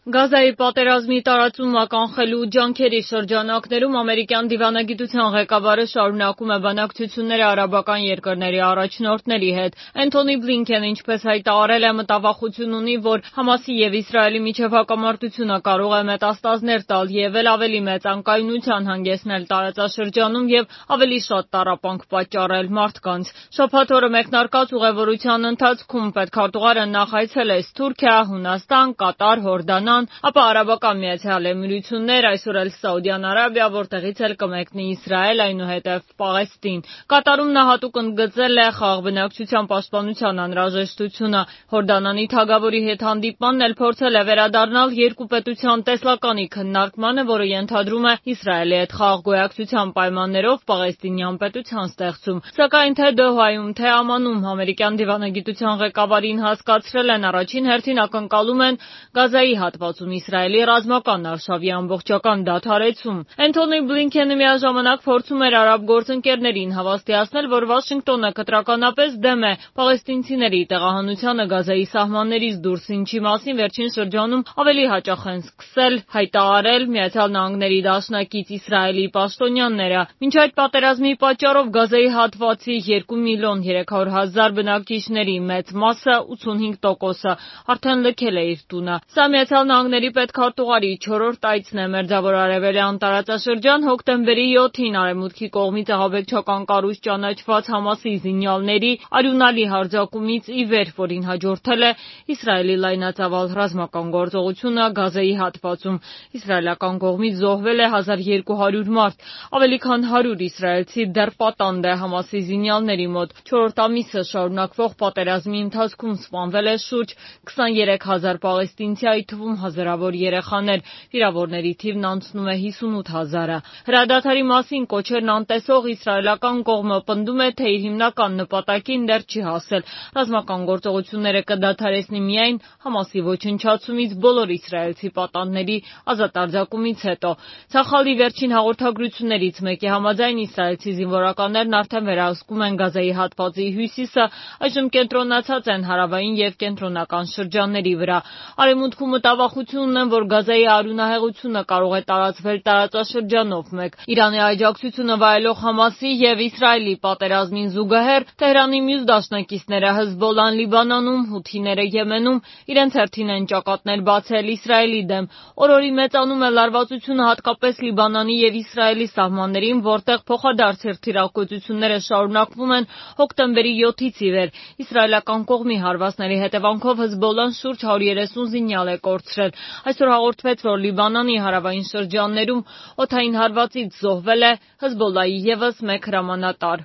Գազայի պատերազմի տարածումը կանխելու ջանքերի շրջանակներում ամերիկյան դիվանագիտության ղեկավարը շարունակում է բանակցությունները արաբական երկրների առաջնորդների հետ։ Էնթոնի Բլինքենը, ինչպես հայտարարել է, մտավախություն ունի, որ Համասի եւ Իսրայելի միջև հակամարտությունը կարող է մետաստազներ տալ եւ ավելի մեծ անկայունության հանգեցնել տարածաշրջանում եւ ավելի շատ տառապանք պատճառել մարդկանց։ Շաբաթ օրը մեկնարկած ուղևորության ընթացքում պետքարտուղարը նախ այցելեց Թուրքիա, Հունաստան, Կատար, Հորդանան, ապա Արաբական Միացյալ Էմիրություններ, այսօր էլ Սաուդյան Արաբիա, որտեղից էլ կմեկնի Իսրայել, այնուհետև Պաղեստին։ Կատարում նա հատուկ ընդգծել է խաղաղ բնակչության պաշտպանության անհրաժեշտությունը։ Հորդանանի թագավորի հետ հանդիպմանն էլ փորձել է վերադառնալ երկու պետության տեսլականի քննարկմանը, որը ենթադրում է Իսրայելի հետ խաղաղ գոյակցության պայմաններով Պաղեստինյան պետության ստեղծում։ Սակայն թե Դոհայում, թե Ամանում ամերիկյան դիվանագիտության ղեկավարին հասկացրել են, առաջին հերթին ակնկալում են Գազայի հատվածում Իսրայելի ռազմական արշավի ամբողջական դադարեցում։ Էնթոնի Բլինքենը միաժամանակ փորձում էր արաբ գործընկերներին հավաստիացնել, որ Վաշինգտոնը կտրականապես դեմ է պաղեստինցիների տեղահանությանը Գազայի սահմաններից դուրս, ինչի մասին վերջին շրջանում ավելի հաճախ են սկսել հայտարարել ԱՄՆ դաշնակից Իսրայելի պաշտոնյաները։ Մինչ այդ պատերազմի պատճառով Գազայի հատվածի 2.3 միլիոն բնակիչների մեծ մասը, 85%-ը, արդեն լքել է իր տունը։ Սա ԱՄՆ պետքարտուղարի 4-րդ այցն է Մերձավոր Արևելյան տարածաշրջան։ Հոկտեմբերի 7-ին Արևմուտքի կողմից ահաբեկչական կառույց ճանաչված Համասի զինյալների արյունալի հարձակումից ի վեր, որին հաջորդել է Իսրայելի լայնածավալ ռազմական գործողությունը Գազայի հատվածում։ Իսրայելական կողմից զոհվել է 1200 մարդ, ավելի քան 100 իսրայելցի դեռ պատանդ է Համասի զինյալների մոտ։ 4 ամիսը շարունակվող պատերազմի ընթացքում սպանվել է շուրջ 23000 պաղեստինցի, այդ թվում հազարավոր երեխաներ, վիրավորների թիվն անցնում է 58,000-ը։ Հրադադարի մասին կոչերն անտեսող իսրայելական կողմը պնդում է, թե իր հիմնական նպատակին դեռ չի հասել։ Ռազմական գործողությունները կդադարեցնի միայն Համասի ոչնչացումից, բոլոր իսրայելցի պատանդների ազատ արձակումից հետո։ Ցախալի վերջին հաղորդագրություններից մեկի համաձայն իսրայելցի զինվորականներն արդեն վերահսկում են Գազայի հատվածի հյուսիսը, այժմ կենտրոնացած են հարավային եւ կենտրոնական շրջանների վրա։ Արևմուտքում մտավախություն ունեն, որ Գազայի արյունահեղությունը կարող է տարածվել տարածաշրջանով մեկ։ Իրանի աջակցությունը վայելող Համասի եւ Իսրայելի պատերազմին զուգահեռ Թեհրանի մյուս դաշնակիցները Հեզբոլլահն Լիբանանում, Հութիները Եմենում իրենց հերթին են ճակատներ բացել Իսրայելի դեմ։ Օր-օրի մեծանում է լարվածությունը հատկապես Լիբանանի եւ Իսրայելի սահմաններին, որտեղ փոխադարձ թիրախգործությունները շարունակվում են հոկտեմբերի 7-ից ի վեր։ Իսրայելական կողմի հարվածների հետևանքով Հեզբոլլահն շուրջ 130 զինյալ է կորցրել։ Այսօր հաղորդվեց, որ Լիբանանի հարավային շրջաններում օդային հարվածից զոհվել է Հեզբոլլահի ևս մեկ հրամանատար։